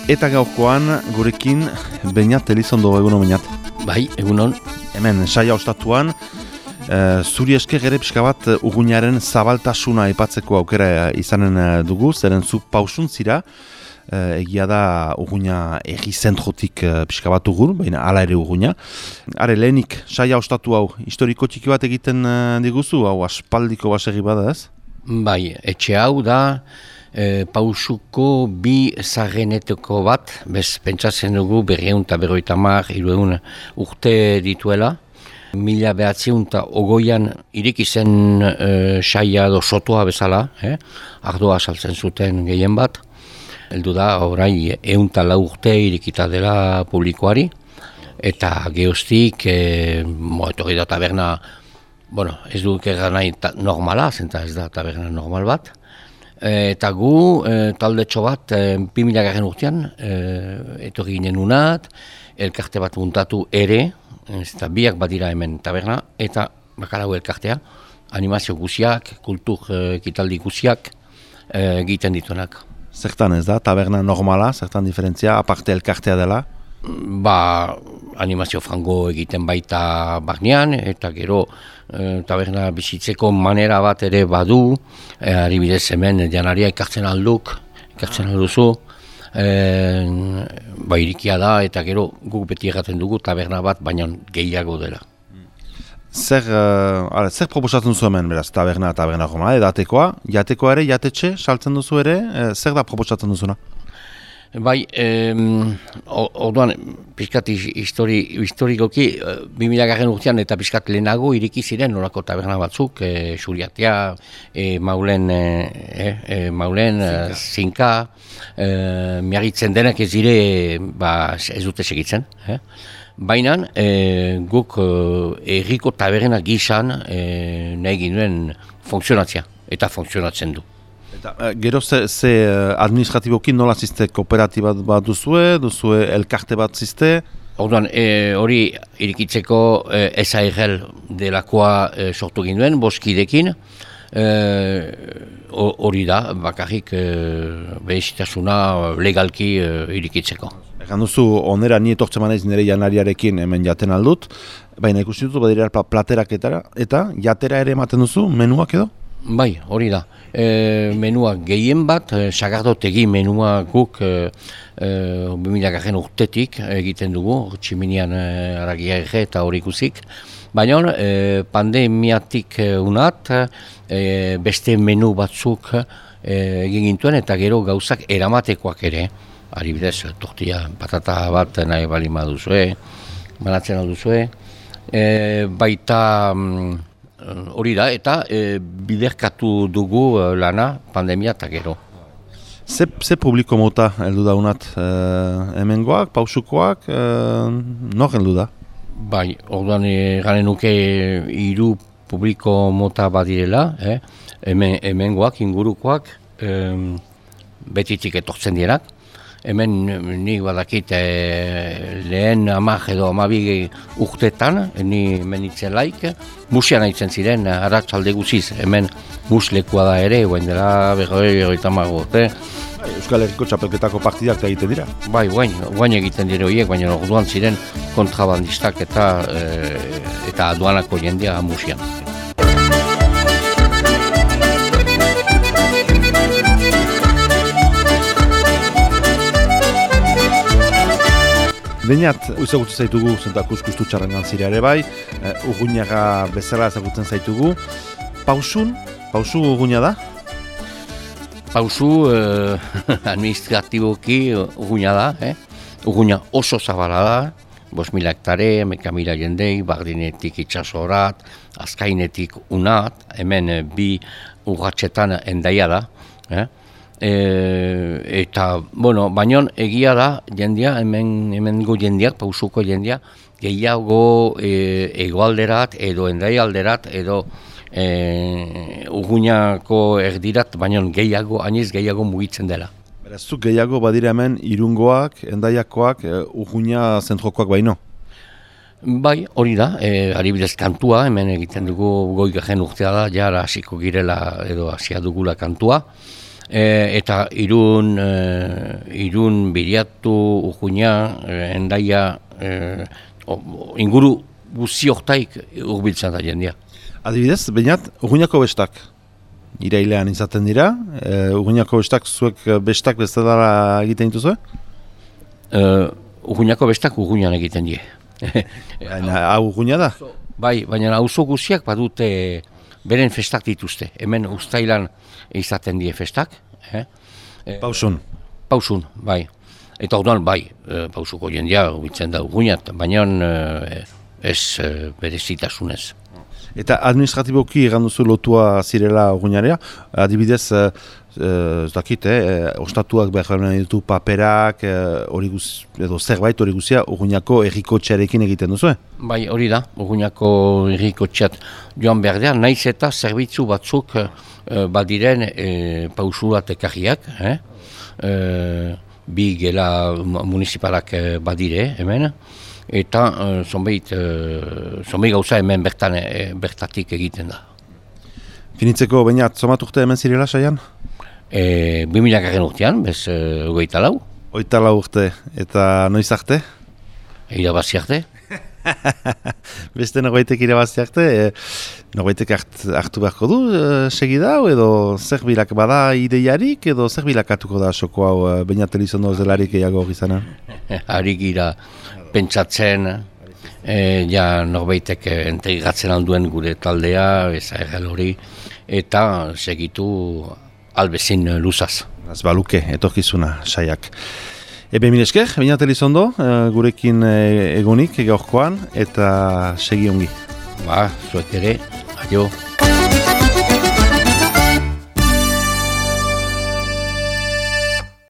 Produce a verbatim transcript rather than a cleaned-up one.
Eta gaurkoan gurekin Beñat Elizondo, egunon Beñat. Bai, egunon. Hemen saia ostatuan, uh, zuri esker ere pixka bat Urruñaren zabaltasuna aipatzeko aukera izanen dugu, zeren zu pausun zira, uh, egia da Urruña egi zentrotik uh, pixka bat ugur, baina hala ere Urruña. Are lehenik saia ostatu hau, historiko txiki bat egiten uh, diguzu, hau aspaldiko baserri bada ez? Bai, etxe hau da, E, pausuko bi zageneteko bat, bez pentsatzen dugu berreun eta berroita mar, irueun urte dituela. Mila behatziun eta ogoian ireki zen e, saia edo sotoa bezala, eh? Ardoa saltzen zuten gehien bat. Heldu da, orai, eun eta lau urte irekita dela publikoari. Eta geostik, e, mo, etorri da taberna, bueno, ez duk erra nahi ta, normala, zenta ez da taberna normal bat. Eta gu, e, taldetxo bat, e, bi mila garren urtean, e, etorri ginen unat, elkarte bat muntatu ere, eta biak badira hemen taberna, eta bakalau elkartea, animazio guziak, kultur e, kitaldi guziak e, egiten dituenak. Zertan ez da, taberna normala, zertan diferentzia, aparte elkartea dela? Ba, animazio frango egiten baita barnean, eta gero e, taberna bizitzeko manera bat ere badu, e, adibidez hemen janaria ekartzen alduk, ekartzen alduzu, e, ba irikia da, eta gero guk beti erraten dugu taberna bat, baina gehiago dela. Zer, uh, ara, zer proposatzen duzu hemen, beraz, taberna, taberna roma, edatekoa, jatekoa ere, jatetxe, saltzen duzu ere, e, zer da proposatzen duzuna? Bai, em, orduan, pixkat histori, historikoki, bi mila garren urtean eta pixkat lehenago ireki ziren nolako taberna batzuk, e, Xuriatea, e, Maulen, e, e, Maulen, Zinka, e, miarritzen denak ez dire, ba, ez dute segitzen. Eh? Baina, e, guk erriko taberna gizan e, nahi ginuen funtzionatzea, eta funtzionatzen du. Eta, gero ze, ze administratiboki nola ziste, kooperatiba bat duzue, duzue elkarte bat ziste? Orduan, e, hori irikitzeko e, S A R L delakoa e, sortu ginduen, boskidekin, hori e, da, bakarrik e, behizitasuna legalki e, irikitzeko. Egan duzu, onera ni etortzen manaiz nire janariarekin hemen jaten aldut, baina ikusi dut badira platerak eta, eta jatera ere ematen duzu, menuak edo? Bai, hori da. E, menua gehien bat, e, sagardotegi menua guk e, e, bi mila garren urtetik egiten dugu, tximinian e, aragia ege eta hori ikusik. Baina e, pandemiatik e, unat, e, beste menu batzuk e, egin gintuen eta gero gauzak eramatekoak ere. Adibidez, tortilla, patata bat nahi bali maduzue, banatzen alduzue. E, baita... Hori da, eta e, biderkatu dugu e, lana, pandemia eta gero. Ze, ze publiko mota heldu da unat? E, hemengoak, pausukoak, e, nor heldu da? Bai, orduan e, garen nuke hiru publiko mota badirela, eh? Hemen, hemengoak, ingurukoak, e, betitik etortzen direnak. Hemen nik badakit e, lehen amak edo amabi urtetan, ni menitzen laik, musian haitzen ziren, arratsalde guziz, hemen muslekua da ere, guen dela berroi berroita mago, eh? Euskal Herriko txapelketako partidak da egiten dira? Bai, guain, guain egiten dira horiek, baina orduan ziren kontrabandistak eta, e, eta aduanako jendea musian. Beñat, ezagutu zaitugu, zenta kuskustu txarrengan zira ere bai, uh, Urruñaga bezala ezagutzen zaitugu. Pausun, pausu Urruña da? Pausu eh, administratiboki Urruña da, eh? Urruña oso zabala da, bost mila hektare, meka mila jendei, bardinetik itxasorat, azkainetik unat, hemen bi urratxetan endaia da, eh? E, eta, bueno, baina egia da, jendia, hemen, hemengo jendiak, pausuko jendia, gehiago e, egoalderat, edo endai alderat, edo e, Urruñako erdirat, baina gehiago, aniz gehiago mugitzen dela. Beraz, zuk gehiago badira hemen Irungoak, Endaiakoak, e, Urruña zentrokoak baino? Bai, hori da, e, adibidez kantua, hemen egiten dugu goi garen urtea da, jara hasiko girela edo hasia dugula kantua. E, eta irun, e, irun Biriatu, Urguña, e, Hendaia, e, o, inguru guzi hortaik urbiltzen da jendea. Adibidez, bainat, Urguñako bestak. Irailean izaten dira, e, Urguñako bestak zuek bestak bezala egiten dituzue? Uh, Urguñako bestak Urguñan egiten die. Baina, hau Urguña da? Bai, baina auzo guziak badute beren festak dituzte. Hemen uztailan izaten die festak. Eh? Pausun. Pausun, bai. Eta orduan, bai, e, pausuko jendea bitzen da Urguñat, baina e, ez e, berezitasunez. Eta administratiboki egan duzu lotua zirela Urguñarea, adibidez, e, ez dakit, eh, ostatuak behar ditu paperak, hori e, edo zerbait hori guzia Urguñako errikotxearekin egiten duzu, eh? Bai, hori da, Urguñako errikotxeat joan behar da, naiz eta zerbitzu batzuk e, badiren e, pausurat ekarriak, eh? e, bi gela municipalak badire hemen, eta e, zonbeit, e, zonbeit gauza hemen bertan, e, bertatik egiten da. Finitzeko, baina, zomat urte hemen zirela, Saian? E, bi mila garen urtean, bez e, ogeita lau. Oita lau urte, eta noiz arte? Irabazi arte. Beste norbaitek irabazi arte, e, norbaitek hart, hartu beharko du e, segida hau, edo zer bilak bada ideiarik, edo zer bilakatuko da soko hau e, Beñat Elizondo zelarik egiago gizana? Harik gira pentsatzen, e, ja norbaitek integratzen alduen gure taldea, eza errel hori, eta segitu albezin luzaz. Az baluke, etorkizuna, Saiak. Ebe mil esker, Beñat Elizondo, gurekin egonik gaurkoan, eta segi ongi. Ba, zuek ere, adio.